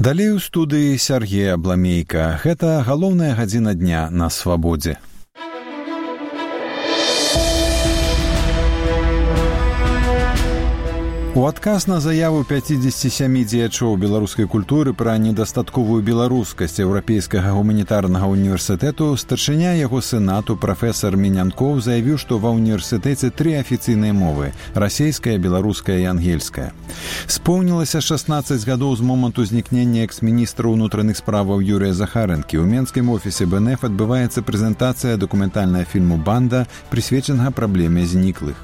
Далей у студыі Сяргей Абламейка. Гэта галоўная гадзіна дня на свабодзе. У адказ на заяву 57 дзеячоў беларускай культуры пра недастатковую беларускасць Еўрапейскага гуманітарнага універсітэту старшыня яго сенату прафесар Мінянкоў заявіў, што ва ўніверсітэце 3 афіцыйныя мовы – расейская, беларуская і ангельская. Споўнілася 16 гадоў з моманту знікнення экс-міністра ўнутраных справаў Юрыя Захарэнкі. У менскім офісе БНФ адбываецца прэзентацыя дакументальнага фільму «Банда», прысвечанага праблеме зніклых.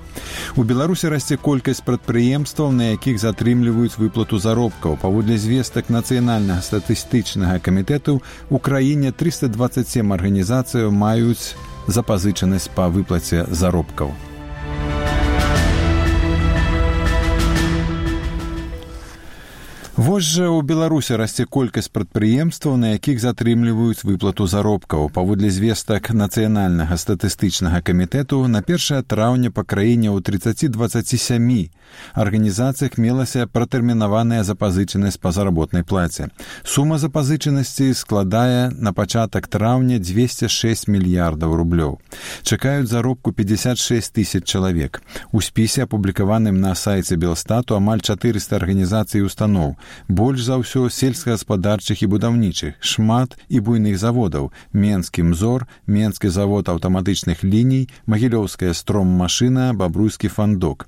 У Беларусі расце колькасць прадпрыемстваў, на якіх затрымліваюць выплату заробкаў. Паводле звестак Нацыянальнага статыстычнага камітэту у краіне 327 арганізацыяў маюць запазычанасць па выплаце заробкаў. Вось жа ў Беларусі расце колькасць прадпрыемстваў, на якіх затрымліваюць выплату заробкаў. Паводле звестак Нацыянальнага статыстычнага камітэту на 1 траўня па краіне ў 30-27 арганізацыях мелася пратэрмінаваная запазычанасць па заработнай плаце. Сума запазычанасці складае на пачатак траўня 206 мільярдаў рублёў. Чакаюць заробку 56 тысяч чалавек. У спісе, апублікаваным на сайце Белстату, амаль 400 арганізацый і устаноў. Больш за ўсё сельскагаспадарчых і будаўнічых, шмат і буйных заводаў. Менскі «Мзор», Менскі завод аўтаматычных ліній, Магілёўская строммашына, Бабруйскі фандок.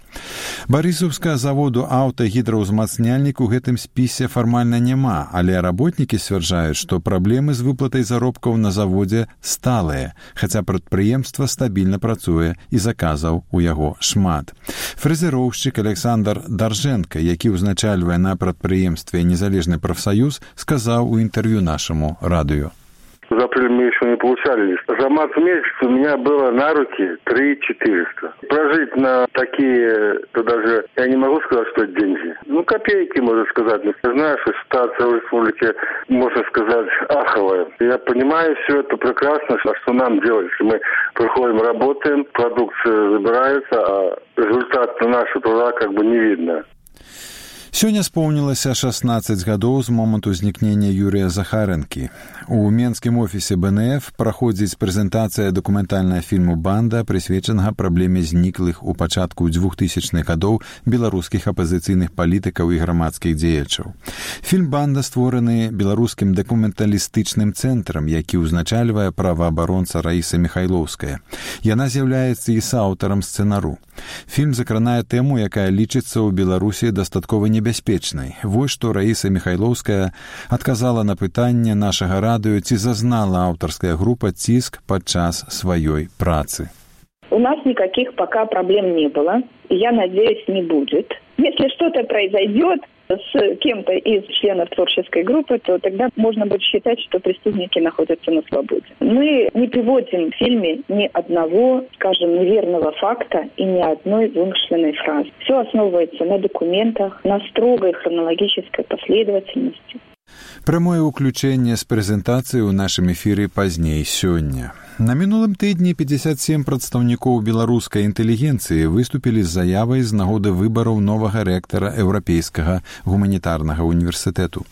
Барысаўскага заводу аўтагідраўзмацняльнік у гэтым спісе фармальна няма, але работнікі сцвярджаюць, што праблемы з выплатай заробкаў на заводзе сталыя, хаця прадпрыемства стабільна працуе і заказаў у яго шмат. Фрэзероўшчык Александр Даржэнка, які ўзначальвае на прадпрыемстве «Незалежный профсоюз», сказал у интервью нашему радио. За апрель мы еще не получали лист. За март месяц у меня было на руки 3400. Прожить на такие, то даже я не могу сказать, что это деньги. Копейки, можно сказать. Я знаю, что ситуация в республике, можно сказать, аховая. Я понимаю все это прекрасно, что нам делать, если мы приходим, работаем, продукция забирается, а результат нашего труда не видно. Сёння споўнілася 16 гадоў з моманту знікнення Юрія Захарэнкі. У менскім офісе БНФ праходзіць прэзентацыя дакументальнага фільму «Банда», прысвечанага праблеме зніклых у пачатку 2000-х гадоў беларускіх апазіцыйных палітыкаў і грамадскіх дзеячаў. Фільм «Банда» створаны беларускім дакументалістычным цэнтрам, які ўзначальвае праваабаронца Раіса Міхайлоўская. Яна з'яўляецца і сааўтарам сцэнару. Фільм закранае тэму, якая лічыцца ў Беларусі дастаткова небяспечнай. Вось што Раіса Міхайлоўская адказала на пытанне нашага радыё, ці зазнала аўтарская група ціск падчас сваёй працы. У нас никаких пока проблем не было, и я надеюсь, не будет. Если что-то произойдет с кем-то из членов творческой группы, то тогда можно будет считать, что преступники находятся на свободе. Мы не приводим в фильме ни одного, скажем, неверного факта и ни одной вымышленной фразы. Все основывается на документах, на строгой хронологической последовательности. Прамое ўключэнне з прэзентацыі ў нашым эфіры пазней сёння. На мінулым тыдні 57 прадстаўнікоў беларускай інтэлігенцыі выступілі з заявай з нагоды выбараў новага рэктара Еўрапейскага гуманітарнага універсітэту.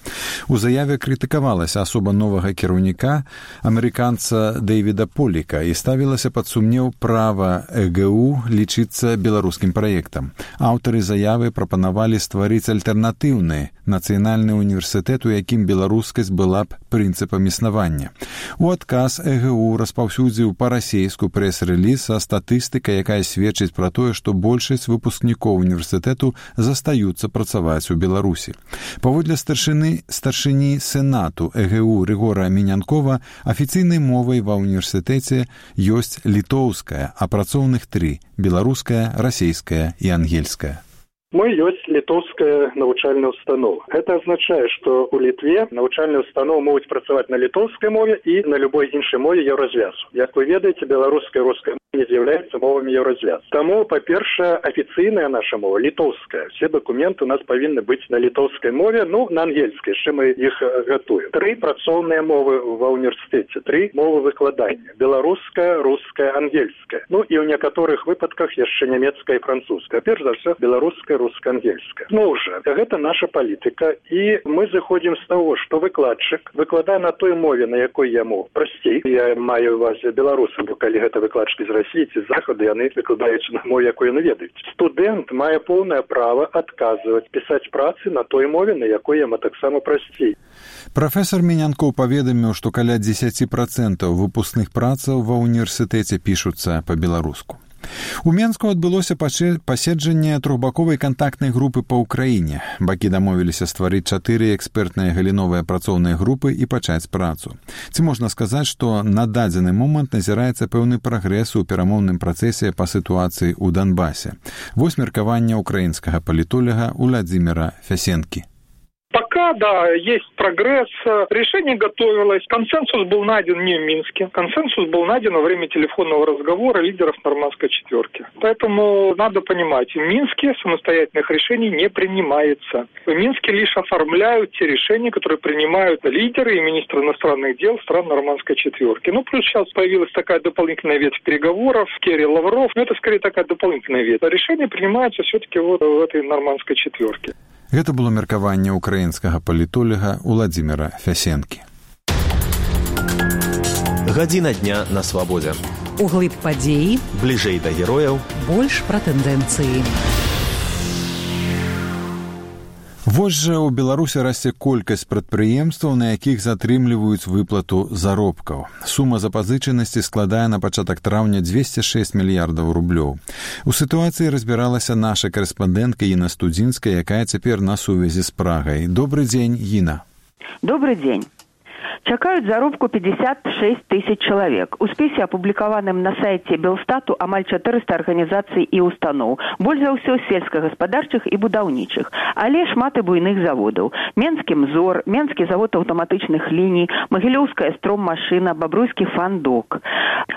У заяве крытыкавалася асоба новага кіраўніка, амерыканца Дэвіда Поліка, і ставілася пад сумнеў права ЭГУ лічыцца беларускім праектам. Аўтары заявы прапанавалі стварыць альтэрнатыўны нацыянальны універсітэт, у якім беларускасць была б прынцыпам існавання. У адказ ЭГУ распаўсюдзіў па-расейску прэс-рэліз са статыстыкай, якая сведчыць пра тое, што большасць выпускнікоў універсітэту застаюцца працаваць у Беларусі. Паводле старшыні сенату ЭГУ Рыгора Мінянкова, афіцыйнай мовай ва ўніверсітэце ёсць літоўская, а працоўных 3 – беларуская, расейская і ангельская. Мы ёсць літоўская навучальная установа. Гэта азначае, што ў Літве навучальныя установы могуць працаваць на літоўскай мове і на любой іншай мове еўразвязу. Як вы ведаеце, беларуская і руская мова не з'яўляюцца мовамі еўразвязу. Таму, па-першае, афіцыйная наша мова літоўская. Все дакументы у нас павінны быць на літоўскай мове, на ангельскай, яшчэ мы іх гатуем. 3 працоўныя мовы ва ўніверсітэце, 3 мовы выкладання: беларуская, руская, ангельская. І ў некаторых выпадках яшчэ нямецкая і французская. Перш за ўсё, беларуская, беларуска-ангельская. Ну уже, гэта наша палітыка, і мы заходзім з таго, што выкладчык выкладае на той мове, на якой яму прасцей. Я маю ў увазе беларусаў, бо калі гэта выкладчыкі з Расіі ці з Захаду, яны выкладаюць на мове, якой яны ведаюць. Студэнт мае поўнае права адказваць, пісаць працы на той мове, на якой яму таксама прасцей. Прафесор Менянкоў паведаміў, што каля 10% выпускных працаў ва ўніверсітэце пішуцца па-беларуску. У Менску адбылося паседжанне трохбаковай кантактнай групы па ўкраіне. Бакі дамовіліся стварыць 4 экспертныя галіновыя працоўныя групы і пачаць працу. Ці можна сказаць, што на дадзены момант назіраецца пэўны прагрэс у перамоўным працэсе па сітуацыі ў Донбасе. Вось меркаванне украінскага палітолога Уладзіміра Фясенкі. Пока, да, есть прогресс. Решение готовилось. Консенсус был найден не в Минске. Консенсус был найден во время телефонного разговора лидеров Нормандской четверки. Поэтому надо понимать, в Минске самостоятельных решений не принимается. В Минске лишь оформляют те решения, которые принимают лидеры и министры иностранных дел стран Нормандской четверки. Ну, плюс сейчас появилась такая дополнительная ветвь переговоров. Керри, Лавров. Но это скорее такая дополнительная ветвь. Решения принимаются все-таки вот в этой Нормандской четверке. Гэта было меркаванне украінскага палітолага Уладзіміра Фясенкі. Гадзіна дня на свабодзе. Углыб падзеі, бліжэй да герояў, больш пра тэндэнцыі. Вось жа ў Беларусі расце колькасць прадпрыемстваў, на якіх затрымліваюць выплату заробкаў. Сума запазычанасці складае на пачатак траўня 206 мільярдаў рублёў. У сітуацыі разбіралася наша карэспандэнтка Іна Студзінская, якая цяпер на сувязі з Прагай. Добрый дзень, Іна. Добрый дзень. Чакаюць заробку 56 тысяч чалавек. У спісе, апублікаваным на сайце Белстату, амаль 400 арганізацый і устаноў. Больш за ўсё сельскагаспадарчых і будаўнічых. Але шмат і буйных заводаў. Менскі МЗОР, Менскі завод аўтаматычных ліній, Магілёўская строммашына, Бабруйскі фандок.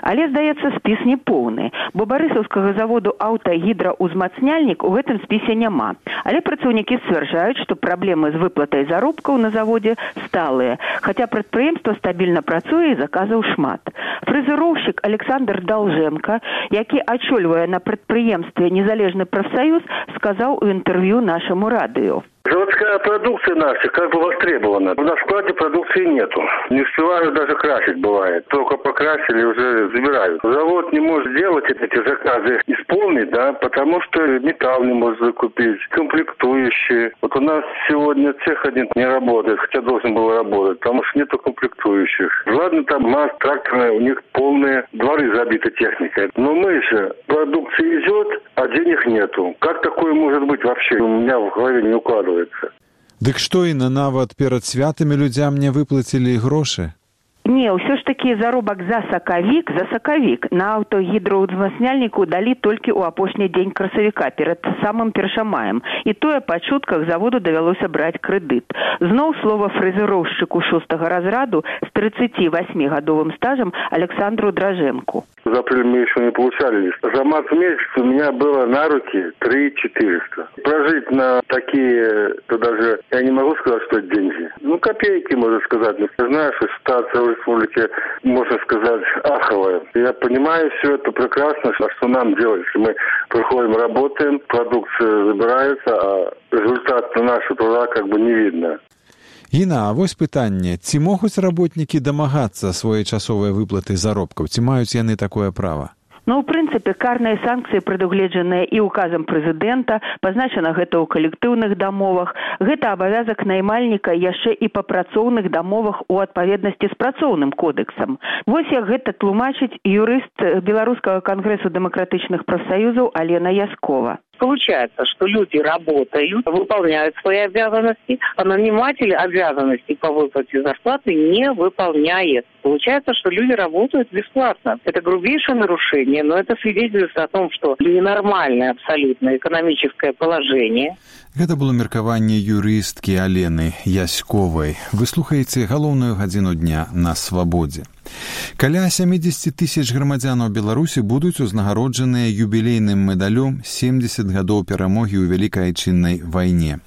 Але, здаецца, спіс не поўны, бо барысаўскага заводу аўтагідраўзмацняльнік у гэтым спісе няма. Але працаўнікі сцвярджаюць, што праблемы з выплатай заробкаў на заводзе сталыя, хаця прадпрыемства стабільна працуе і заказаў шмат. Фрэзероўшчык Александр Долженко, які ачольвае на прадпрыемстве незалежны прафсаюз, сказаў у інтэрв'ю нашаму радыё. Заводская продукция наша как бы востребована. На складе продукции нету. Не успевают даже красить бывает. Только покрасили, уже забирают. Завод не может делать эти заказы, исполнить, да, потому что металл не может закупить, комплектующие. Вот у нас сегодня цех один не работает, хотя должен был работать, потому что нету комплектующих. Ладно, там МАЗ, тракторные, у них полные дворы забиты техникой. Но мы же, продукция идет, а денег нету. Как такое может быть вообще? У меня в голове не укладывается. Дык што, Іна, нават перад святамі людзям не выплацілі грошы? Не, ўсё ж такі заробак за сакавік на аўтагідраўзмацняльніку далі толькі ў апошні дзень красавіка, перад самым першамаем. І тое па чутках заводу давялося браць крэдыт. Зноў слова фрэзероўшчыку 6-го разраду з 38-гадовым стажам Александру Дроженку. За апрель мы еще не получали лист. За март месяц у меня было на руки 3400. Прожить на такие, то даже я не могу сказать, что это деньги. Ну, копейки, можно сказать. Но знаешь, что ситуация в республике, можно сказать, аховая. Я понимаю все это прекрасно, что нам делать, если мы приходим, работаем, продукция забирается, а результат нашего труда как бы не видно. Іна, а вось пытанне, ці могуць работнікі дамагацца своечасовай выплаты заробкаў, ці маюць яны такое права? Ну, ў прынцыпе, карныя санкцыі прадугледжаныя і указам прэзідэнта, пазначана гэта ў калектыўных дамовах. Гэта абавязак наймальніка яшчэ і па працоўных дамовах у адпаведнасці з працоўным кодексам. Вось як гэта тлумачыць юрыст Беларускага кангрэсу дэмакратычных прафсаюзаў Алена Яскова. Получается, что люди работают, выполняют свои обязанности, а наниматель обязанностей по выплате зарплаты не выполняет. Получается, что люди работают бесплатно. Это грубейшее нарушение, но это свидетельствует о том, что ненормальное абсолютно экономическое положение. Гэта было меркаванне юрысткі Алены Ясковай. Вы слухаеце галоўную гадзіну дня на свабодзе. Каля 70 тысяч грамадзянаў Беларусі будуць узнагароджаныя юбілейным медалём 70 гадоў перамогі ў Вялікай Айчыннай вайне.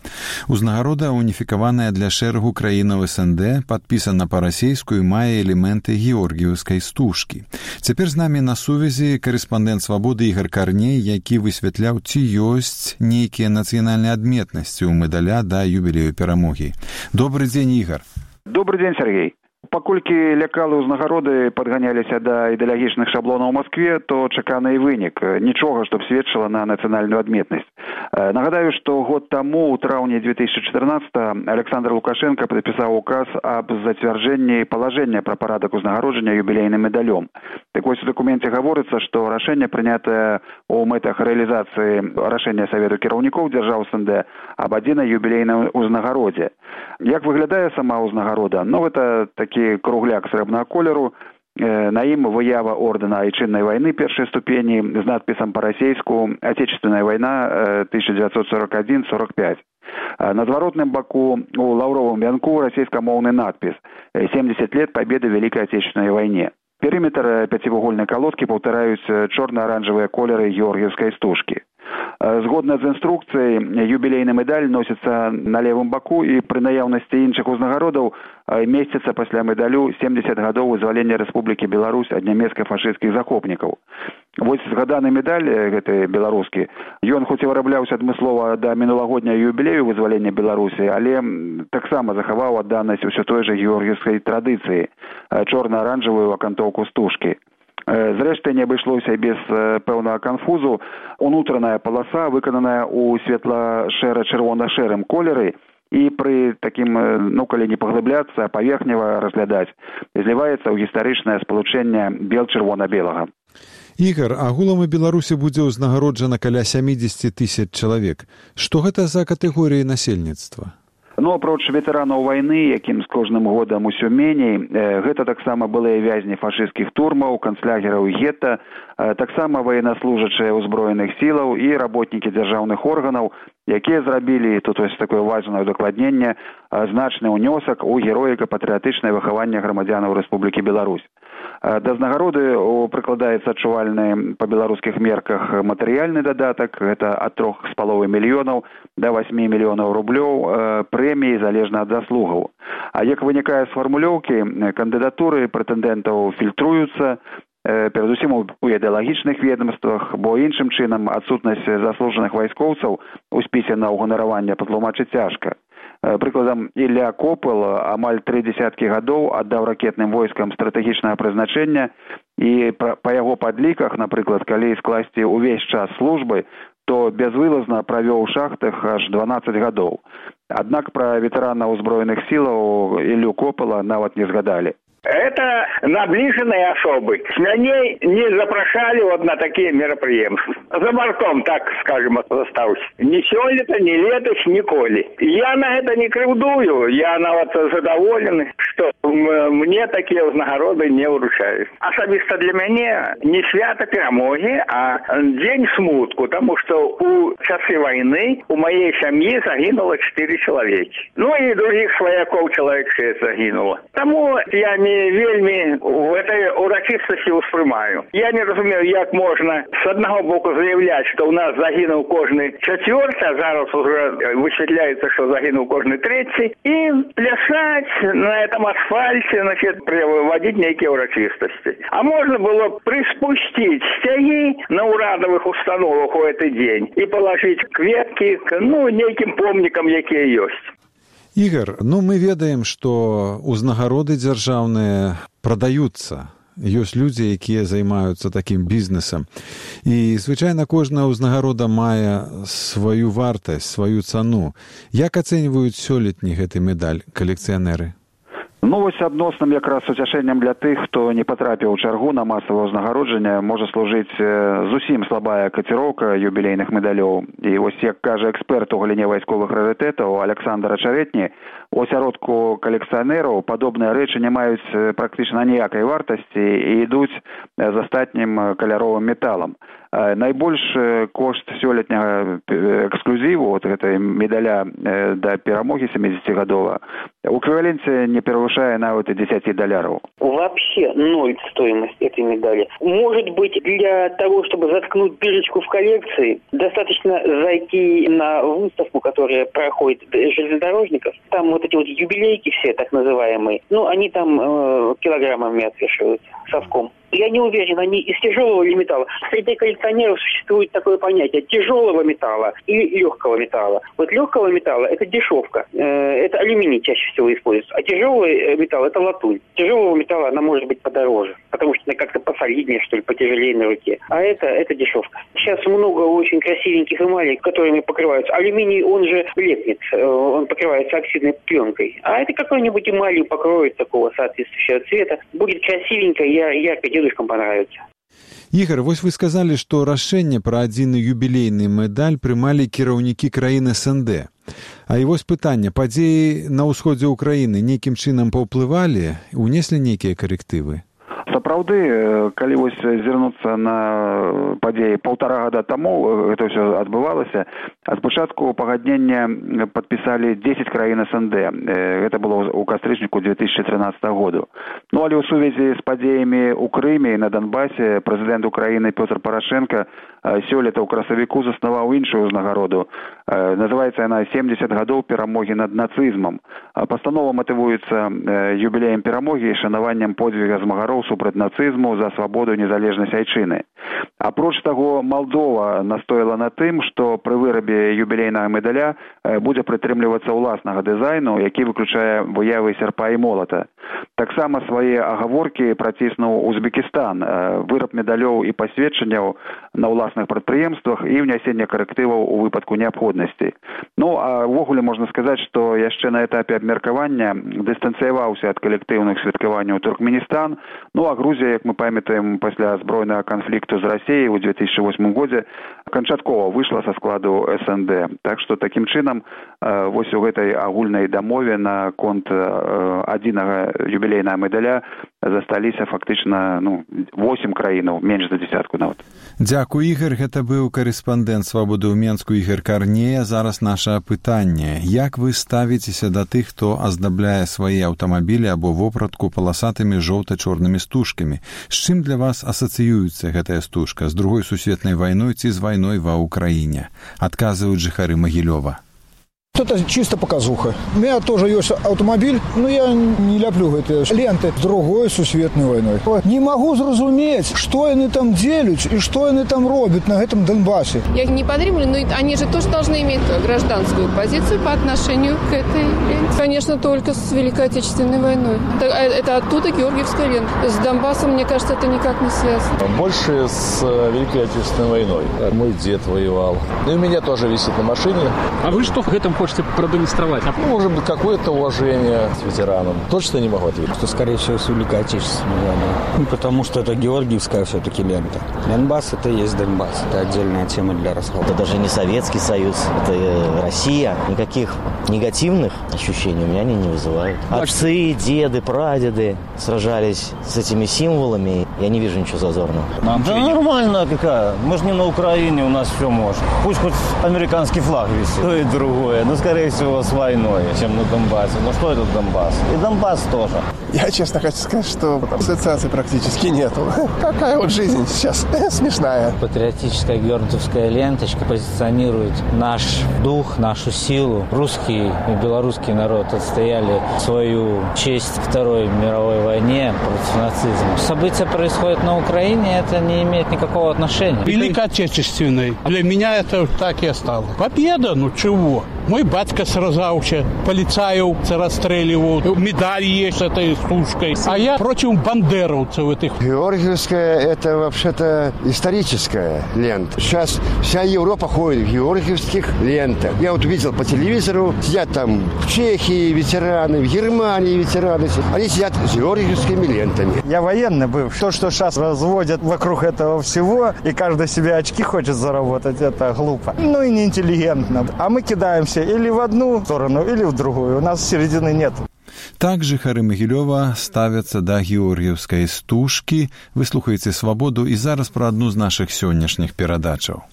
Узнагарода уніфікаваная для шэрагу краінаў СНД, падпісана па-расейску і мае элементы георгіеўскай стужкі. Цяпер з намі на сувязі карэспандэнт «Свабоды» Ігар Карней, які высвятляў, ці ёсць нейкія нацыянальныя адметнасці ў медаля да юбілею перамогі. Добры дзень, Ігар. Добрый день, Сергей. Паколькі лекалы ўзнагароды падганяліся да ідэалагічных шаблонаў у Москве, то чаканы і вынік. Нічога, што б сведчыла на нацыянальную адметнасць. Нагадаю, што год таму, у траўні 2014 Александр Лукашенко падпісаў указ аб зацвярджэнні палажэння пра парадак узнагароджання юбілейным медалём. Так вось у дакуменце гаворыцца, што рашэнне прынятае ў мэтах рэалізацыі рашэння Савету кіраўнікоў дзяржаў СНД аб адзінай юбілейнай узнагародзе. Як выглядае сама ўзнагарода? Ну, гэта такі кругляк срэбнага колеру, на ім выява ордэна Айчыннай вайны першай ступені з надпісам па-расейску «Отечественная вайна 1941-45». На зваротным баку у лаўровым вянку расейскамоўны надпіс «70 лет победы в Великой Отечественной войне». Перыметр пяцівугольнай калодкі паўтараюць чорна-аранжавыя колеры георгіеўскай стужкі. Згодна з інструкцыяй, юбілейны медаль носіцца на левым баку і пры наяўнасці іншых узнагародаў месціцца пасля медалю 70 гадоў вызвалення Рэспублікі Беларусь ад нямецка-фашысцкіх захопнікаў. Вось згаданы медаль, гэты беларускі, ён хоць і вырабляўся адмыслова да мінулагодняга юбілею вызвалення Беларусі, але таксама захаваў адданасць усё той жа георгіевскай традыцыі, чорна-аранжавую акантоўку стужкі. Зрэшты, не абышлося без пэўнага канфузу. Унутраная паласа выкананая ў светла-шэра-чырвона-шэрым колеры і пры такім, калі не паглыбляцца, паверхнева разглядаць, зліваецца ў гістарычнае спалучэнне бел-чырвона-белага. Ігар, агулам у Беларусі будзе ўзнагароджана каля 70 тысяч чалавек. Што гэта за катэгорыі насельніцтва? Апроч ветэранаў вайны, якім з кожным годам усё меней, гэта таксама былыя вязні фашысцкіх турмаў, канцлагераў і гета, таксама военнослужачыя ўзброеных сілаў і работнікі дзяржаўных органаў, якія зрабілі, тут вось такое важнае удакладненне, значны ўнёсак у героіка-патрыятычнае выхаванне грамадзянаў Рэспублікі Беларусь. Да ўзнагароды прыкладаецца адчувальны па беларускіх мерках матэрыяльны дадатак, гэта ад 3,5 мільёнаў да 8 мільёнаў рублёў прэміі залежна ад заслугаў. А як вынікае з фармулёўкі, кандыдатуры прэтэндэнтаў фільтруюцца, перадусім у ідэалагічных ведомствах, бо іншым чынам адсутнасць заслужаных вайскоўцаў у спісе на ўганараванне патлумачыць цяжка. Прыкладам, Ілля Копыл амаль 3 дзесяткі гадоў аддаў ракетным войскам стратэгічнага прызначэння і па яго падліках, напрыклад, калі скласці ўвесь час службы, то безвылазна правёў у шахтах аж 12 гадоў. Аднак пра ветэрана ўзброеных сілаў Іллю Копыла нават не згадалі. Это наближенные особы. С меня не запрошали вот на такие мероприятия. За бортом, так скажем, остался. Ни сёлета, ни летось, николи. Я на это не крывдую. Я вот задоволен, что мне такие узнагороды не вручают. Особисто для меня не свято перемоги, а день смутку, потому что у часы войны у моей семьи загинуло 4 человека. Ну и других свояков человек 6 загинуло. Тому я не вельмі в этой урочистости успрымаю. Я не разумею, як можна с одного боку заявлять, что у нас загинул кожный четвертый, а зараз уже высветляется, что загинул кожный третий, и плясать на этом асфальте, значит, приводить некие урочистости. А можно было приспустить стяги на урадовых установах в этот день и положить кветки к, неким помникам, якія ёсць. Ігар, мы ведаем, што ўзнагароды дзяржаўныя прадаюцца. Ёсць людзі, якія займаюцца такім бізнесам. І, звычайна, кожная ўзнагарода мае сваю вартасць, сваю цану. Як ацэньваюць сёлетні гэты медаль калекцыянеры? Вось адносным якраз уцяшэннем для тых, хто не патрапіў у чаргу на масавае ўзнагароджанне, можа служыць зусім слабая каціроўка юбілейных медалёў. І вось, як кажа эксперт у галіне вайсковых рарытэтаў Александр Ачаветні, у асяродку калекцыянераў падобныя рэчы не маюць практычна ніякай вартасці і ідуць з астатнім каляровым металам. Найбольш кошт сёлетняга эксклюзіву эксклюзіву от гэтай медаля да перамогі 70-гадова у эквіваленце не перавышае нават і $10. Вообще ноль стоимость этой медали. Может быть, для того, чтобы заткнуть дырочку в коллекции, достаточно зайти на выставку, которая проходит железнодорожников. Там вот эти вот юбилейки все, так называемые, они там килограммами отвешиваются совком. Я не уверен, они из тяжелого или металла. Среди коллекционеров существует такое понятие тяжелого металла или легкого металла. Вот легкого металла – это дешевка. Это алюминий чаще всего используется. А тяжелый металл – это латунь. Тяжелого металла она может быть подороже, потому что она как-то посолиднее, что ли, потяжелее на руке. А это дешевка. Сейчас много очень красивеньких эмалей, которыми покрываются. Алюминий, он же лепнет, он покрывается оксидной пленкой. А это какой-нибудь эмалью покроют такого соответствующего цвета. Будет красивенько, ярко, дедушкам понравится. Ігор, вось вы сказалі, што рашэнне пра адзіны юбілейны медаль прымалі кіраўнікі краін СНД. А і вось пытанне, падзеі на ўсходзе ўкраіны нейкім чынам паўплывалі, унеслі нейкія карэктывы? Сапраўды, калі вось зірнуцца на падзеі 1,5 гада таму, гэта ўсё адбывалася, а спачатку пагаднення падпісалі 10 краін СНД. Гэта было ў кастрычніку 2013 году. Але ў сувязі з падзеямі ў Крыме і на Донбасе прэзідэнт Украіны Пётр Парашенко сёлета ў красавіку заснаваў іншую ўзнагароду. Называецца яна 70 гадоў перамогі над нацызмам. Пастанова матывуецца юбілеем перамогі і шанаваннем подзвіга змагароў супраць нацызму за свабоду і незалежнасць айчыны. Апроч таго, Малдова настояла на тым, што пры вырабе юбілейнага медаля будзе прытрымлівацца ўласнага дызайну, які выключае выявы сярпа і молата. Таксама свае агаворкі праціснуў Узбекістан, выраб медалёў і пасведчанняў на ўласных прадпрыемствах і ўнясенне карэктываў у выпадку неабходнасці. А ўвогуле можна сказаць, што яшчэ на этапе абмеркавання дыстанцыяваўся ад калектыўных святкаванняў Туркменістан, а Грузія, як мы памятаем, пасля збройнага канфлікту з Расіяй у 2008 годзе канчаткова выйшла са складу СНД. Так што такім чынам вось у гэтай агульнай дамове на конт адзінага юбілейнага медаля засталіся фактычна 8 краінаў, менш за дзесятку нават. Дзякуй, Ігор. Гэта быў карэспандэнт «Свабоды» ў Менску Ігор Карнея. Зараз наша пытанне. Як вы ставіцеся да тых, хто аздабляе свае аўтамабілі або вопратку паласатымі жоўта-чорнымі стужкамі? З чым для вас асацыюецца гэтая стужка? З Другой сусветнай вайной ці з вайной ва Ўкраіне? Адказваюць жыхары Магілёва. Это чисто показуха. У меня тоже есть автомобиль, но я не люблю эти ленты с Другой сусветной войной. Не могу зразуметь, что они там делают и что они там робят на этом Донбассе. Я не подримлю, но они же тоже должны иметь гражданскую позицию по отношению к этой ленте. Конечно, только с Великой Отечественной войной. Это оттуда Георгиевская лента. С Донбассом, мне кажется, это никак не связано. Больше с Великой Отечественной войной. Мой дед воевал. И у меня тоже висит на машине. А вы что в этом хочете продемонстрировать? Может быть, какое-то уважение к ветеранам. Точно не могу ответить. Что, скорее всего, с Великой Отечественной войной. Потому что это Георгиевская все-таки лента. Донбасс — это и есть Донбасс. Это отдельная тема для разговора. Это даже не Советский Союз, это Россия. Никаких негативных ощущений у меня они не вызывают. Отцы, деды, прадеды сражались с этими символами. Я не вижу ничего зазорного. Да нормально какая. Мы же не на Украине, у нас все можно. Пусть хоть американский флаг висит. То и другое. Скорее всего, с войной, чем на Донбассе. Что это Донбасс? И Донбасс тоже. Я честно хочу сказать, что ассоциаций практически нету. Какая вот жизнь сейчас смешная. Патриотическая георгиевская ленточка позиционирует наш дух, нашу силу. Русский и белорусский народ отстояли свою честь в Второй мировой войне против нацизма. События происходят на Украине, это не имеет никакого отношения. Великой Отечественной. Для меня это так и осталось. Победа, чего? Мой батька сражался, полицаев расстреливал, медаль есть с этой стужкой. А я против бандеровцев этих. Георгиевская – это вообще-то историческая лента. Сейчас вся Европа ходит в георгиевских лентах. Я вот видел по телевизору, сидят там в Чехии ветераны, в Германии ветераны. Они сидят с георгиевскими лентами. Я военный был. То, что сейчас разводят вокруг этого всего, и каждый себе очки хочет заработать, это глупо. И неинтеллигентно. А мы кидаемся или в одну сторону, или в другую. У нас середины нет. Так жыхары Магілёва ставяцца да георгіўскай стужкі. Вы слухаеце «Свабоду» і зараз пра адну з нашых сённяшніх перадачаў.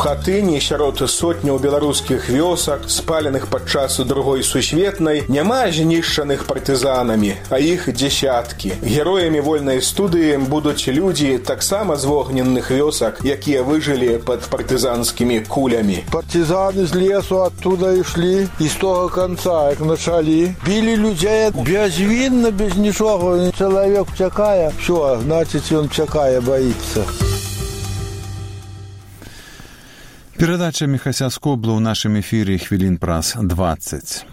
хатыні сярод сотняў беларускіх вёсак, спаленых падчас другой сусветнай, няма знішчаных партызанамі, а іх дзесяткі. Героямі вольнай студыі будуць людзі таксама з вогненных вёсак, якія выжылі пад партызанскімі кулямі. Партизаны з лесу оттуда ішлі і з того конца, як началі. Білі людзей безвінна, без нічого. Чалавек чакае, все, значить, ён чакае, боится. Перадача Міхася Скобла ў нашым эфіры хвілін праз 20.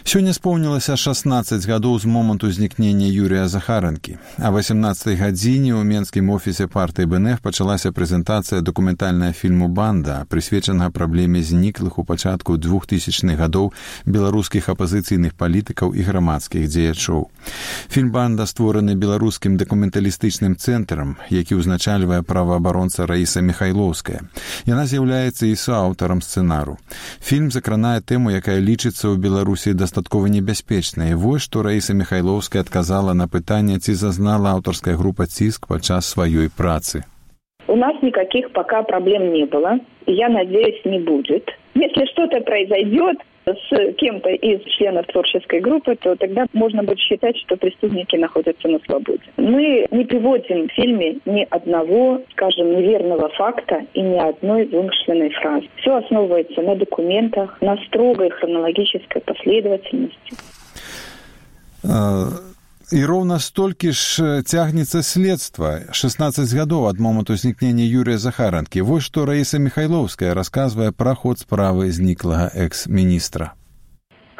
Сёння споўнілася 16 гадоў з моманту знікнення Юрія Захаранкі. А 18 гадзіне ў менскім офісе партыі БНФ пачалася прэзентацыя дакументальнага фільму «Банда», прысвечанага праблеме зніклых у пачатку 2000-х гадоў беларускіх апазіцыйных палітыкаў і грамадскіх дзеячоў. Фільм «Банда» створаны беларускім дакументалістычным цэнтрам, які ўзначальвае праваабаронца Раіса Міхайлоўская. Яна з'яўляецца і суаўтарам сцэнару. Фільм закранае тэму, якая лічыцца ў Беларусі дастаткова небяспечнай. Вось што Раіса Міхайлоўская адказала на пытанне, ці зазнала аўтарская група «Ціск» падчас сваёй працы. У нас никаких пока проблем не было, и я надеюсь, не будет. Если что-то произойдет с кем-то из членов творческой группы, то тогда можно будет считать, что преступники находятся на свободе. Мы не приводим в фильме ни одного, скажем, неверного факта и ни одной вымышленной фразы. Все основывается на документах, на строгой хронологической последовательности. І роўна столькі ж цягнецца следства. 16 гадоў ад моманту знікнення Юрія Захаранкі. Вось што Раіса Міхайлоўская расказвае пра ход справы зніклага экс-министра.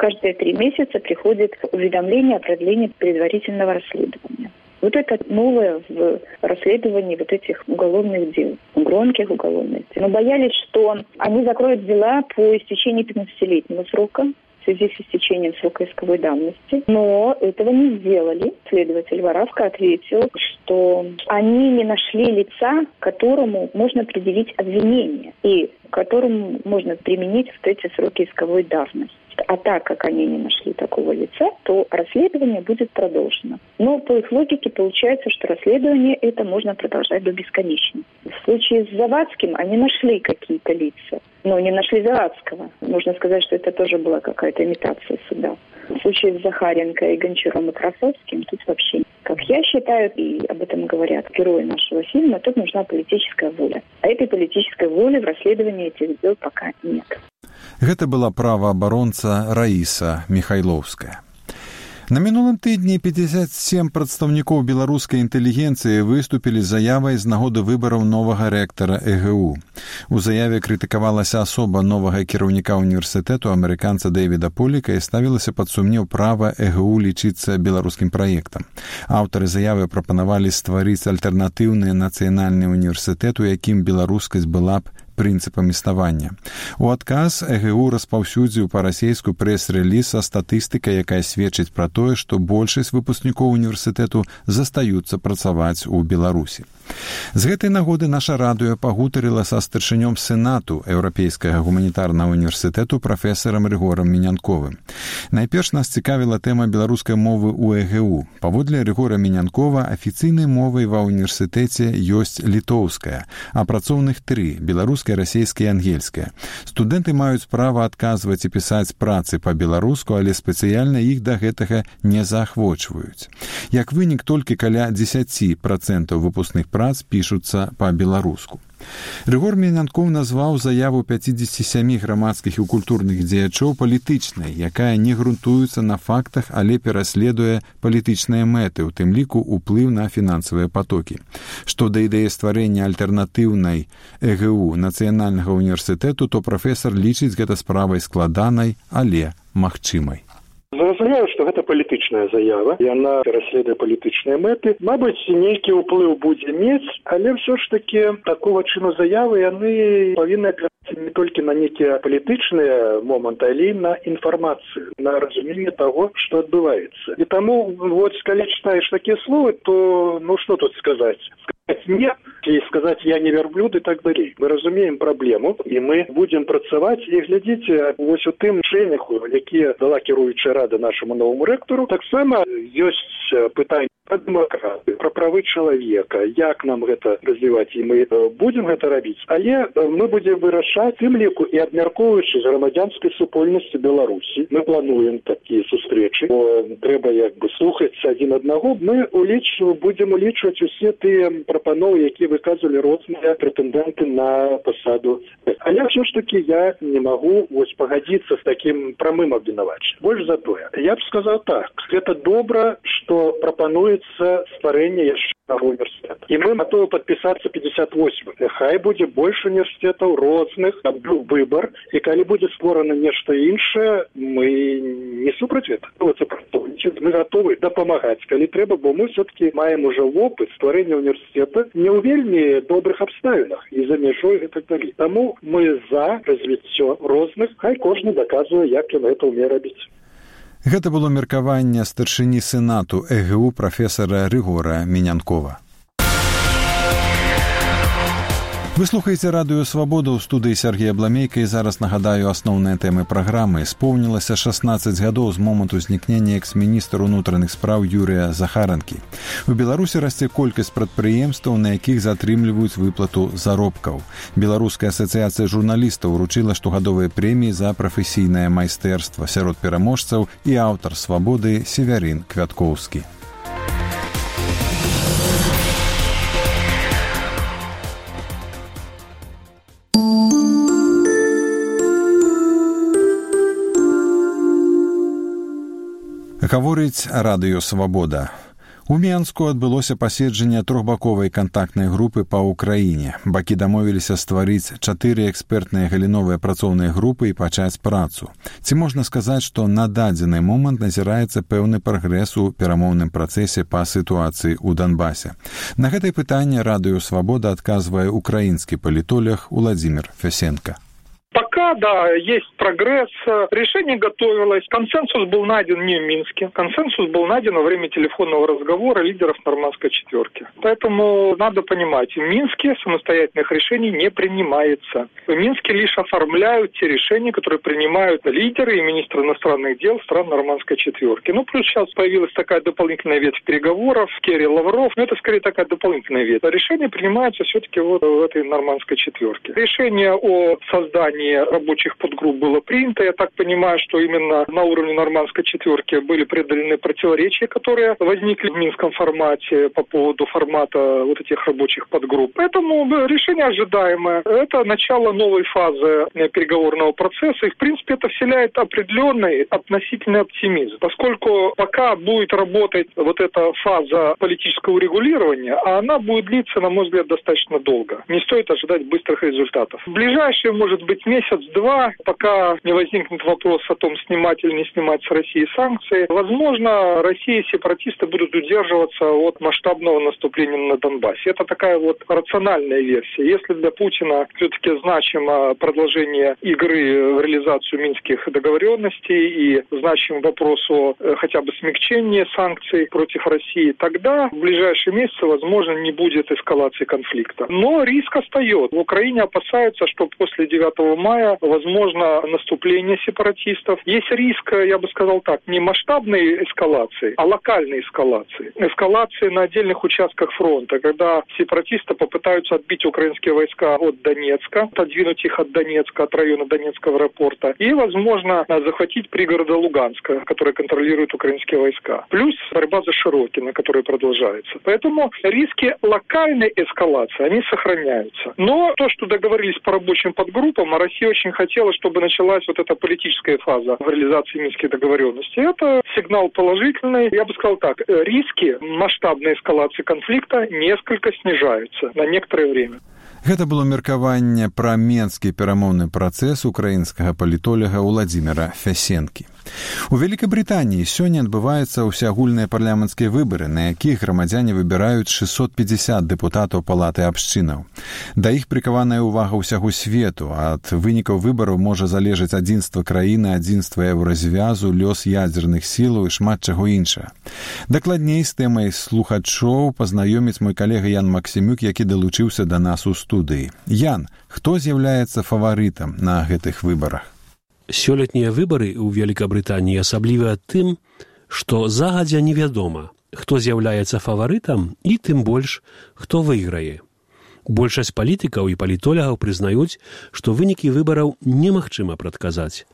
Каждые 3 месяца приходит уведомление о продлении предварительного расследования. Вот это новое в расследовании вот этих уголовных дел, громких уголовных дел. Мы боялись, что они закроют дела по истечении 15-летнего срока, в связи с истечением срока исковой давности. Но этого не сделали. Следователь Воравка ответил, что они не нашли лица, которому можно предъявить обвинение и которому можно применить вот эти сроки исковой давности. А так как они не нашли такого лица, то расследование будет продолжено. Но по их логике получается, что расследование это можно продолжать до бесконечности. В случае с Завадским они нашли какие-то лица, но не нашли Завадского. Можно сказать, что это тоже была какая-то имитация суда. В случае с Захаренко и Гончаром и Красовским тут вообще, как я считаю, и об этом говорят герои нашего фильма, тут нужна политическая воля. А этой политической воли в расследовании этих дел пока нет. Гэта была праваабаронца Раіса Міхайлоўская. На мінулым тыдні 57 прадстаўнікоў беларускай інтэлігенцыі выступілі з заявай з нагоды выбараў новага рэктара ЭГУ. У заяве крытыкавалася асоба новага кіраўніка універсітэту амерыканца Дэвіда Поліка і ставілася пад сумнеў права ЭГУ лічыцца беларускім праектам. Аўтары заявы прапанавалі стварыць альтэрнатыўны нацыянальны універсітэт, у якім беларускасць была б прынцыпам існавання. У адказ ЭГУ распаўсюдзіў па-расейску прэс-рэліз са статыстыкай, якая сведчыць пра тое, што большасць выпускнікоў універсітэту застаюцца працаваць у Беларусі. З гэтай нагоды наша радыё пагутарыла са старшынём сенату Еўрапейскага гуманітарнага універсітэту прафесарам Рыгорам Мінянковым. Найперш нас цікавіла тэма беларускай мовы ў ЭГУ. Паводле Рыгора Мінянкова афіцыйнай мовай ва ўніверсітэце ёсць літоўская, а працоўных 3 – беларуская, расейская і ангельская. Студэнты маюць права адказваць і пісаць працы па-беларуску, але спецыяльна іх да гэтага не заахвочваюць. Як вынік, толькі каля 10% выпускных прац пішуцца па-беларуску. Рыгор Мінянков назваў заяву 57 грамадскіх і культурных дзеячоў палітычнай, якая не грунтуецца на фактах, але пераследуе палітычныя мэты, у тым ліку ўплыў на фінансавыя патокі. Што да ідэі стварэння альтэрнатыўнай ЭГУ нацыянальнага універсітэту, то прафесар лічыць гэта справай складанай, але магчымай. Зразумею, што гэта палітычная заява, яна пераследуе палітычныя мэты. Мабыць, нейкі ўплыў будзе мець, але ўсё ж такі такого чыну заявы яны павінны апірацца не толькі на нейкія палітычныя моманты, але і на інфармацыю, на разуменне таго, што адбываецца. І таму, вот, калі чытаеш такія словы, то, ну, што тут сказаць? нет и сказать «я не верблюд» и так далее. Мы разумеем праблему, і ми будемо працювати. І глядіть, ось у тим шенях, які дала керуюча рада нашому новому ректору, так само є питання про демократію, про прави чоловіка, як нам гэта развіваць, і ми будемо гэта робити. Але ми будемо вирішати тим ліку і обмірковуючи з громадянської супольності Білорусі. Ми плануємо такі зустрічі, бо треба якби слухатися один одного. Ми будемо улічувати усі ті пропанови, які виказували різні претенденти на посаду. Але все ж таки я не можу ось погодитися з таким прямим обвинуваченням. Більше за то, я б сказав так, це добре, що пропонується створення ще одного університету. І ми готові підписатися 58. Хай буде більше університетів різних, був вибір, і коли буде створено нечто інше, ми не супроти цього. Ми готові допомагати, коли треба, бо ми все-таки маємо вже опит створення університету не у вельми добрих обставинах і за межою і так далі. Тому ми за розвиття різних, хай кожен доказує, як він це вміє робити. Гэта было меркаванне старшыні Сенату ЭГУ прафесара Рыгора Менянкова. Вы слухаеце радыё «Свабода» ў студыі Сергея Бламейка, і зараз нагадаю асноўныя тэмы праграмы. Споўнілася 16 гадоў з моманту знікнення экс-міністра ўнутраных спраў Юрыя Захаранкі. У Беларусі расце колькасць прадпрыемстваў, на якіх затрымліваюць выплату заробкаў. Беларуская асацыяцыя журналістаў уручыла штогадовыя прэміі за прафесійнае майстэрства. Сярод пераможцаў і аўтар «Свабоды» Севярын Квяткоўскі. Гаворыць радыё «Свабода». У Менску адбылося паседжанне трохбаковай кантактнай групы па ўкраіне. Бакі дамовіліся стварыць 4 экспертныя галіновыя працоўныя групы і пачаць працу. Ці можна сказаць, што на дадзены момант назіраецца пэўны прагрэс у перамоўным працэсе па сітуацыі ў Донбасе? На гэтае пытанне радыё «Свабода» адказвае украінскі палітолог Уладзімір Фесенка. Пока, да, есть прогресс. Решение готовилось. Консенсус был найден не в Минске. Консенсус был найден во время телефонного разговора лидеров Нормандской четверки. Поэтому надо понимать, в Минске самостоятельных решений не принимается. В Минске лишь оформляют те решения, которые принимают лидеры и министры иностранных дел стран Нормандской четверки. Ну, плюс сейчас появилась такая дополнительная ветвь переговоров, Керри, Лавров. Но это скорее такая дополнительная ветвь. Решения принимаются все-таки вот в этой Нормандской четверке. Решение о создании рабочих подгрупп было принято. Я так понимаю, что именно на уровне Нормандской четверки были преодолены противоречия, которые возникли в Минском формате по поводу формата вот этих рабочих подгрупп. Поэтому решение ожидаемое. Это начало новой фазы переговорного процесса. И, в принципе, это вселяет определенный относительный оптимизм. Поскольку пока будет работать вот эта фаза политического урегулирования, а она будет длиться, на мой взгляд, достаточно долго. Не стоит ожидать быстрых результатов. В ближайшие, может быть, месяц-два, пока не возникнет вопрос о том, снимать или не снимать с России санкции, возможно, Россия и сепаратисты будут удерживаться от масштабного наступления на Донбассе. Это такая вот рациональная версия. Если для Путина все-таки значимо продолжение игры в реализацию минских договоренностей и значим вопрос о хотя бы смягчении санкций против России, тогда в ближайшие месяцы, возможно, не будет эскалации конфликта. Но риск остается. В Украине опасаются, что после 9 мая возможно наступление сепаратистов. Есть риск, я бы сказал так, не масштабной эскалации, а локальной эскалации. Эскалации на отдельных участках фронта, когда сепаратисты попытаются отбить украинские войска от Донецка, отодвинуть их от Донецка, от района Донецкого аэропорта, и, возможно, захватить пригороды Луганска, которые контролируют украинские войска. Плюс борьба за Широкино, которая продолжается. Поэтому риски локальной эскалации, они сохраняются. Но то, что договорились по рабочим подгруппам, Россия очень хотела, чтобы началась вот эта политическая фаза в реализации минских договоренностей. Это сигнал положительный. Я бы сказал так, риски масштабной эскалации конфликта несколько снижаются на некоторое время. Гэта было меркаванне пра менскі перамоўны працэс украінскага палітолага Уладзіміра Фясенкі. У Вялікабрытаніі сёння адбываюцца ўсеагульныя парламенцкія выбары, на якіх грамадзяне выбіраюць 650 дэпутатаў палаты абшчынаў. Да іх прыкаваная ўвага ўсяго свету. Ад вынікаў выбараў можа залежаць адзінства краіны, адзінства еўразвязу, лёс ядзерных сілаў і шмат чаго іншага. Дакладней з тэмай слухачоў пазнаёміць мой калега Ян Максімюк, які далучыўся да нас у студыі. Ян, хто з'яўляецца фаварытам на гэтых выбарах? Сёлетнія выбары ў Вялікабрытаніі асаблівыя тым, што загадзя невядома, хто з'яўляецца фаварытам і тым больш, хто выйграе. Большасць палітыкаў і палітолагаў прызнаюць, што вынікі выбараў немагчыма прадказаць.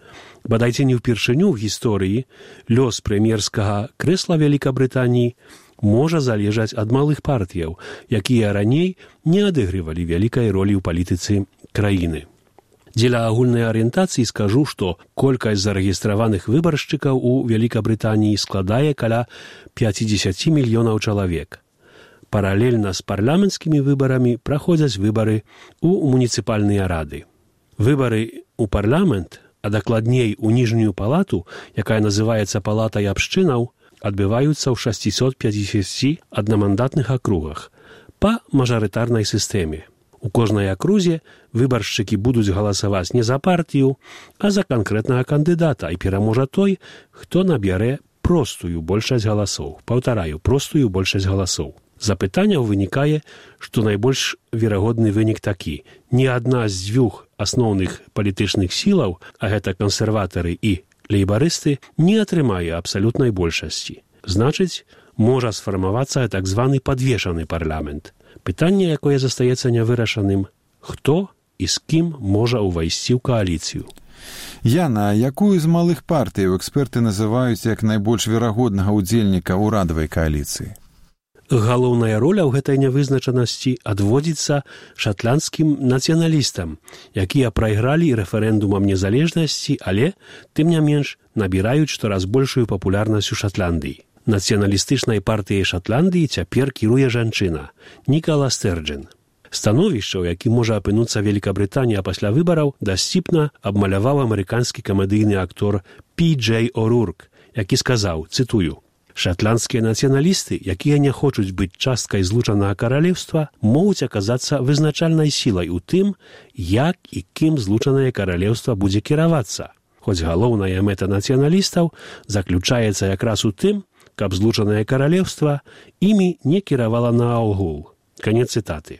Бадайце не ўпершыню ў гісторыі лёс прэм'ерскага крэсла Вялікабрытаніі можа залежаць ад малых партыяў, якія раней не адыгрывалі вялікай ролі ў палітыцы краіны. Дзеля агульнай арыентацыі скажу, што колькасць зарэгістраваных выбаршчыкаў у Вялікабрытаніі складае каля 50 мільёнаў чалавек. Паралельна з парламенцкімі выбарамі праходзяць выбары ў муніцыпальныя рады. Выбары ў парламент, а дакладней у ніжнюю палату, якая называецца палатай абшчынаў, адбываюцца ў 650 аднамандатных акругах па мажарытарнай сістэме. У кожнай акрузе выбаршчыкі будуць галасаваць не за партыю, а за канкрэтнага кандыдата, і пераможа той, хто набярэ простую большасць галасоў. Паўтараю, простую большасць галасоў. З запытанняў вынікае, што найбольш верагодны вынік такі. Ні адна з дзвюх асноўных палітычных сілаў, а гэта кансерватары і лейбарысты, не атрымае абсалютнай большасці. Значыць, можа сфармавацца так званы падвешаны парламент. Пытанне, якое застаецца нявырашаным, хто і з кім можа ўвайсці ў кааліцыю. Яна, якую з малых партыяў эксперты называюць як найбольш верагоднага ўдзельніка ўрадавай кааліцыі? Галоўная роля ў гэтай нявызначанасці адводзіцца шатландскім нацыяналістам, якія прайгралі рэферэндумам незалежнасці, але, тым не менш, набіраюць штораз большую папулярнасць у Шатландыі. Нацыяналістычнай партыяй Шатландыі цяпер кіруе жанчына Нікала Стэрджын. Становішча, у якім можа апынуцца Вялікабрытанія пасля выбараў, дасціпна абмаляваў амерыканскі камедыйны актор Пі-Джей О'Рурк, які сказаў, цытую: «Шатландскія нацыяналісты, якія не хочуць быць часткай злучанага каралеўства, могуць аказацца вызначальнай сілай у тым, як і кім злучанае каралеўства будзе кіравацца. Хоць галоўная мэта нацыяналістаў заключаецца якраз у тым, каб злучанае каралеўства імі не кіравала наогул». Канец цытаты.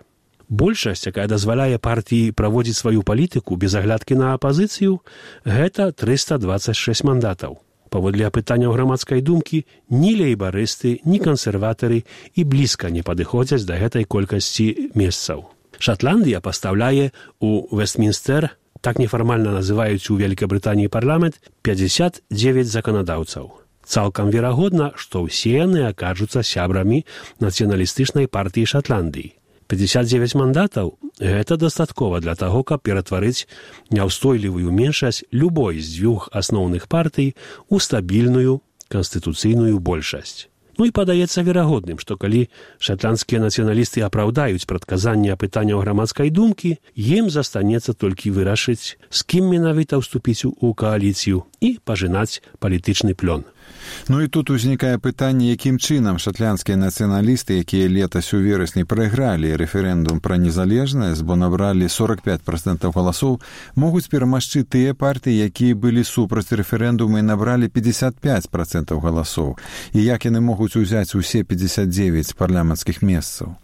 Большасць, якая дазваляе партыі праводзіць сваю палітыку без аглядкі на апазіцыю, гэта 326 мандатаў. Паводле апытанняў грамадскай думкі, ні лейбарысты, ні кансерватары і блізка не падыходзяць да гэтай колькасці месцаў. Шатландыя пастаўляе у Вестмінстэр, так нефармальна называюць у Вялікабрытаніі парламент, 59 заканадаўцаў. Цалкам верагодна, што ўсе яны акажуцца сябрамі нацыяналістычнай партыі Шатландыі. 59 мандатаў – гэта дастаткова для таго, каб ператварыць няўстойлівую меншасць любой з дзвюх асноўных партый у стабільную канстытуцыйную большасць. Ну і падаецца верагодным, што калі шатландскія нацыяналісты апраўдаюць прадказанне апытанняў грамадскай думкі, ім застанецца толькі вырашыць, з кім менавіта ўступіць у кааліцыю і пажынаць палітычны плён. Ну і тут узнікае пытанне, якім чынам шатландскія нацыяналісты, якія летась у верасні прайгралі рэферэндум пра незалежнасць, бо набралі 45% галасоў, могуць перамагчы тыя партыі, якія былі супраць рэферэндуму і набралі 55% галасоў. І як яны могуць узяць усе 59 парламенцкіх месцаў?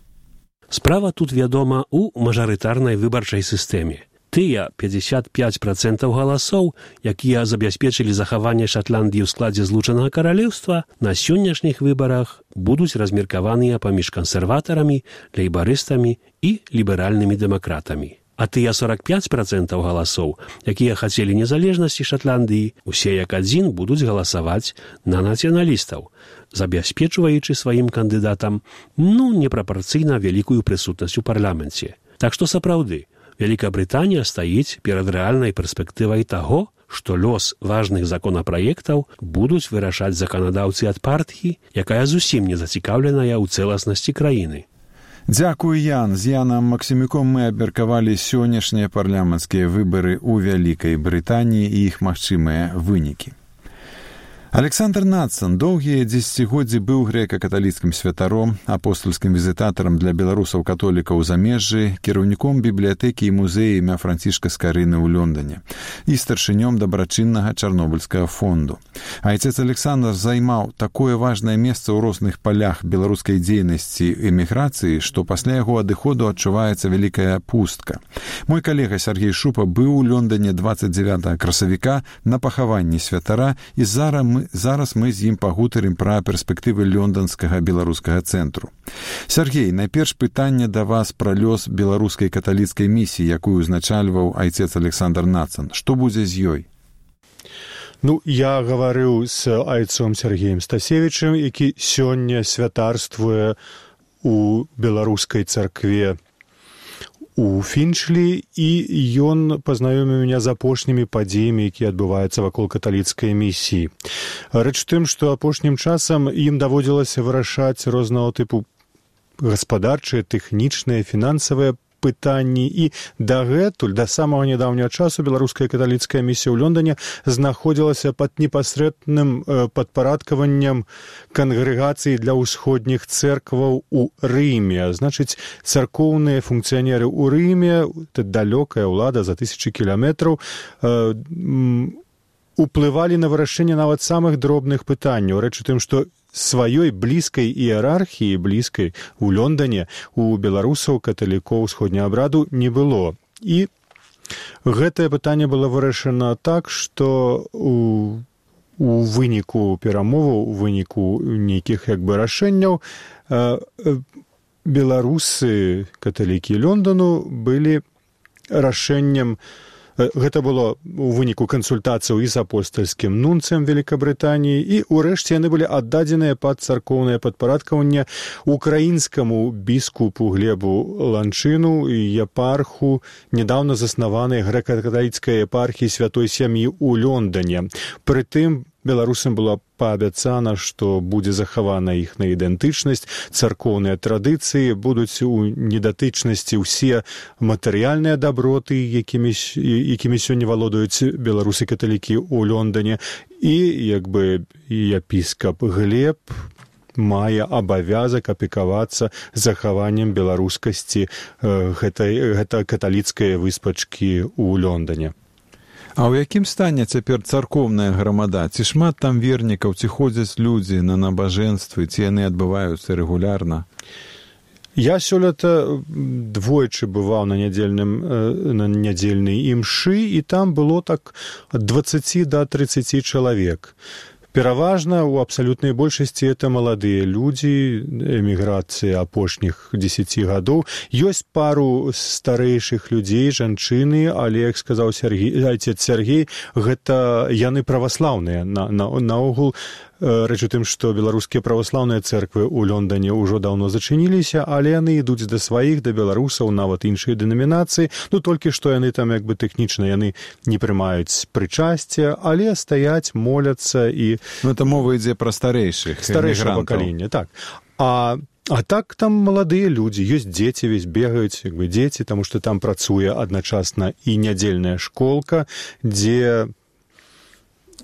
Справа тут, вядома, у мажарытарнай выбарчай сістэме. Тыя 55% галасоў, якія забяспечылі захаванне Шатландыі ў складзе злучанага каралеўства, на сённяшніх выбарах будуць размеркаваныя паміж кансерватарамі, лейбарыстамі і ліберальнымі дэмакратамі. А тыя 45% галасоў, якія хацелі незалежнасці Шатландыі, усе як адзін будуць галасаваць на нацыяналістаў, забяспечваючы сваім кандыдатам, непрапарцыйна вялікую прысутнасць у парламенце. Так што сапраўды, Вялікабрытанія стаіць перад рэальнай перспектывай таго, што лёс важных законапраектаў будуць вырашаць заканадаўцы ад партыі, якая зусім не зацікаўленая ў цэласнасці краіны. Дзякуй, Ян. З Янам Максімюком мы абмеркавалі сённяшнія парламенцкія выбары ў Вялікай Брытаніі і іх магчымыя вынікі. Александр Нацан доўгія дзесяцігоддзі быў грэка-каталіцкім святаром, апостольскім візітатарам для беларусаў-католікаў у замежжы, кіраўніком бібліятэкі і музея імя Францішка Скарыны ў Лондоне і старшынём дабрачыннага Чарнобыльскага фонду. Айцец Александр займаў такое важнае месца ў розных палях беларускай дзейнасці эміграцыі, што пасля яго адыходу адчуваецца вялікая пустка. Мой калега Сергей Шупа быў у Лондоне 29 красавіка на пахаванні святара, і зараз мы з ім пагутарым пра перспектывы лёнданскага беларускага цэнтру. Сергей, найперш пытанне да вас пра лёс беларускай каталіцкай місіі, якую узначальваў айцец Александр Нацан. Што будзе з ёй? Я гаварыў з айцом Сергеем Стасевічым, які сёння святарствуе у беларускай царкве у Фінчлі, і ён пазнаёміў мяне з апошнімі падзеямі, якія адбываюцца вакол каталіцкай місіі. Рэч у тым, што апошнім часам ім даводзілася вырашаць рознага тыпу гаспадарчыя, тэхнічныя, фінансавыя пытанні, і дагэтуль, да самага нядаўняга часу беларуская каталіцкая місія ў Лондоне знаходзілася пад непасрэдным падпарадкаваннем кангрэгацыі для ўсходніх цэркваў у Рыме. Значыць, царкоўныя функцыянеры ў Рыме, далёкая ўлада за 1000 кіламетраў, уплывалі на вырашэнне нават самых дробных пытанняў. Рэч у тым, што сваёй блізкай іерархіі, блізкай у Лондоне, у беларусаў, каталікоў усходняга абраду не было. І гэтае пытанне было вырашана так, што у выніку перамоваў, у выніку нейкіх рашэнняў беларусы, каталікі Лондану былі рашэннем. Гэта было у выніку кансультацыяў і з апостальскім нунцыем Великабрытаніі, і ўрэшце яны былі аддадзеныя пад царкоўнае падпарадкаванне украінскаму біскупу Глебу Ланчыну, епарху нядаўна заснаванай грэка-каталіцкай епархіі святой сям'і ў Лондоне. Прытым беларусам было паабяцана, што будзе захавана іхная ідэнтычнасць, царкоўныя традыцыі, будуць у недатычнасці ўсе матэрыяльныя даброты, якімі сёння валодаюць беларусы-каталікі ў Лондоне. І епіскап Глеб мае абавязак апекавацца захаваннем беларускасці гэтай каталіцкай выспачкі ў Лондоне. А ў якім стане цяпер царкоўная грамада? Ці шмат там вернікаў, ці ходзяць людзі на набажэнствы, ці яны адбываюцца рэгулярна? Я сёлета двойчы бываў на нядзельнай імшы, і там было так ад 20 до 30 чалавек. Пераважна, у абсалютнай большасці это маладыя людзі, эміграцыі апошніх 10 гадоў. Ёсць пару старэйшых людзей, жанчыны, але, як сказаў айцец Сергей, гэта яны праваслаўныя. Наогул, рэч у тым, што беларускія праваслаўныя цэрквы ў Лондоне ўжо даўно зачыніліся, але яны ідуць да сваіх, да беларусаў, нават іншыя дэнамінацыі. Толькі што яны там тэхнічна яны не прымаюць прычасце, але стаяць, моляцца і... это мова ідзе пра старэйшых старэйшага пакалення, так. А так там маладыя людзі, ёсць дзеці, бегаюць дзеці, таму што там працуе адначасна і нядзельная школка, дзе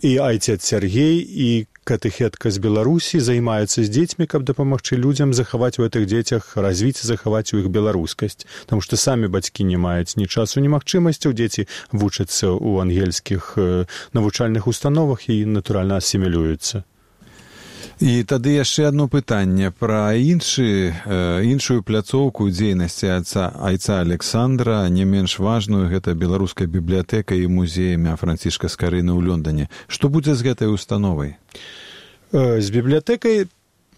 і айцец Сергей, і катэхетка з Беларусі займаюцца з дзецьмі, каб дапамагчы людзям захаваць у гэтых дзецях, развіць і захаваць у іх беларускасць. Таму што самі бацькі не маюць ні часу, ні магчымасцяў, дзеці вучацца ў ангельскіх навучальных установах і, натуральна, асімілююцца. І тады яшчэ адно пытанне пра іншую пляцоўку дзейнасці айца Александра, не менш важную, гэта беларуская бібліятэка і музей імя Францішка Скарыны ў Лондоне. Што будзе з гэтай установай? З бібліятэкай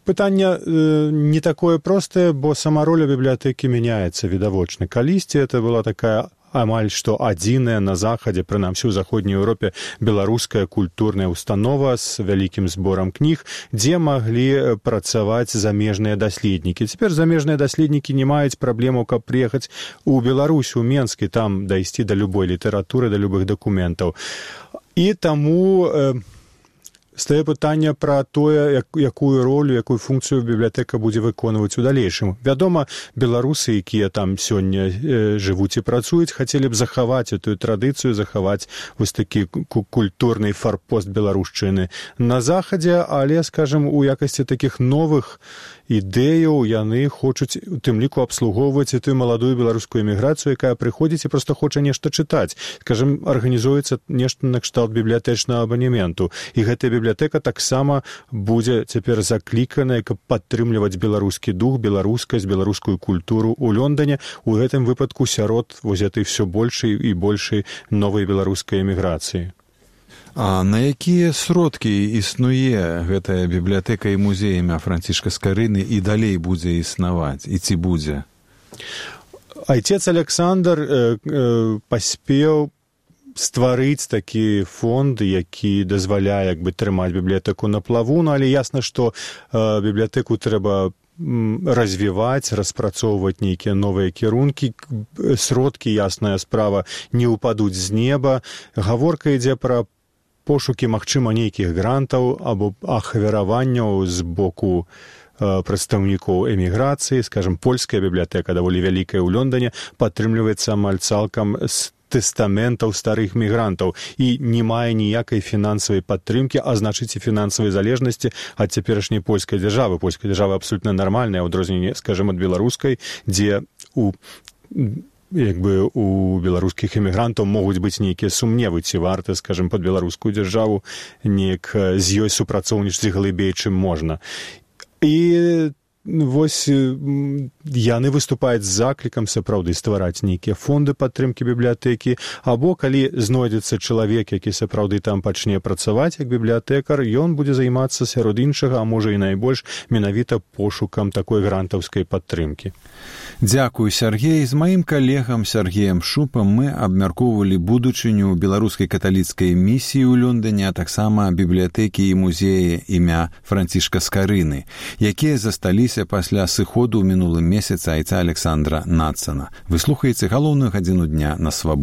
пытанне не такое простае, бо сама роля бібліятэкі мяняецца відавочна. Калісьці это была такая амаль што адзіная на захадзе, прынамсі ў заходняй Еўропе, беларуская культурная установа з вялікім зборам кніг, дзе маглі працаваць замежныя даследнікі. Цяпер замежныя даследнікі не маюць праблемаў, каб прыехаць у Беларусь, у Менск, і там дайсці да любой літаратуры, да любых дакументаў. І таму стае пытанне пра тое, якую ролю, якую функцыю бібліятэка будзе выконваць у далейшым. Вядома, беларусы, якія там сёння жывуць і працуюць, хацелі б захаваць эту традыцыю, захаваць вось такі культурны фарпост беларушчыны на захадзе, але, скажем, у якасці такіх новых ідэяў яны хочуць у тым ліку абслугоўваць і тую маладую беларускую эміграцыю, якая прыходзіць і проста хоча нешта чытаць. Скажем, арганізуецца нешта накшталт бібліятэчнага абанементу. І гэтая бібліятэка таксама будзе цяпер закліканая, каб падтрымліваць беларускі дух, беларускасць, беларускую культуру ў Лондоне, у гэтым выпадку сярод вось этой всё большай і большай новай беларускай эміграцыі. А на якія сродкі існуе гэтая бібліятэка і музей імя Францішка Скарыны і далей будзе існаваць, і ці будзе? Айцец Александр паспеў стварыць такі фонд, які дазваляе трымаць бібліятэку на плаву, але ясна, што бібліятэку трэба развіваць, распрацоўваць нейкія новыя кірункі, сродкі, ясная справа, не ўпадуць з неба. Гаворка ідзе пра пошукі, магчыма, нейкіх грантаў або ахвяраванняў з боку прадстаўнікоў эміграцыі. Скажем, польская бібліятэка, даволі вялікая ў Лондоне, падтрымліваецца амаль цалкам з тэстаментаў старых мігрантаў і не мае ніякай фінансавай падтрымкі, а значыць і фінансавай залежнасці ад цяперашняй польскай дзяржавы. Польская дзяржава абсолютна нармальная, ў адрозненні, скажем, ад беларускай, дзе у беларускіх эмігрантаў могуць быць нейкія сумневы, ці варта, скажем, пад беларускую дзяржаву неяк з ёй супрацоўнічаць глыбей, чым можна. І вось яны выступаюць з заклікам сапраўды ствараць нейкія фонды падтрымкі бібліятэкі, або калі знойдзецца чалавек, які сапраўды там пачне працаваць як бібліятэкар, ён будзе займацца сярод іншага, а можа і найбольш менавіта пошукам такой грантаўскай падтрымкі. Дзякую, Сергей. З маім калегам Сергеем Шупам мы абмяркоўвалі будучыню беларускай каталіцкай місіі ў Лондоне, а таксама бібліятэкі і музеі імя Францішка Скарыны, якія засталіся пасля сыходу ў мінулым месяцы айца Александра Надсона. Вы слухаеце галоўную гадзіну дня на Свабодзе.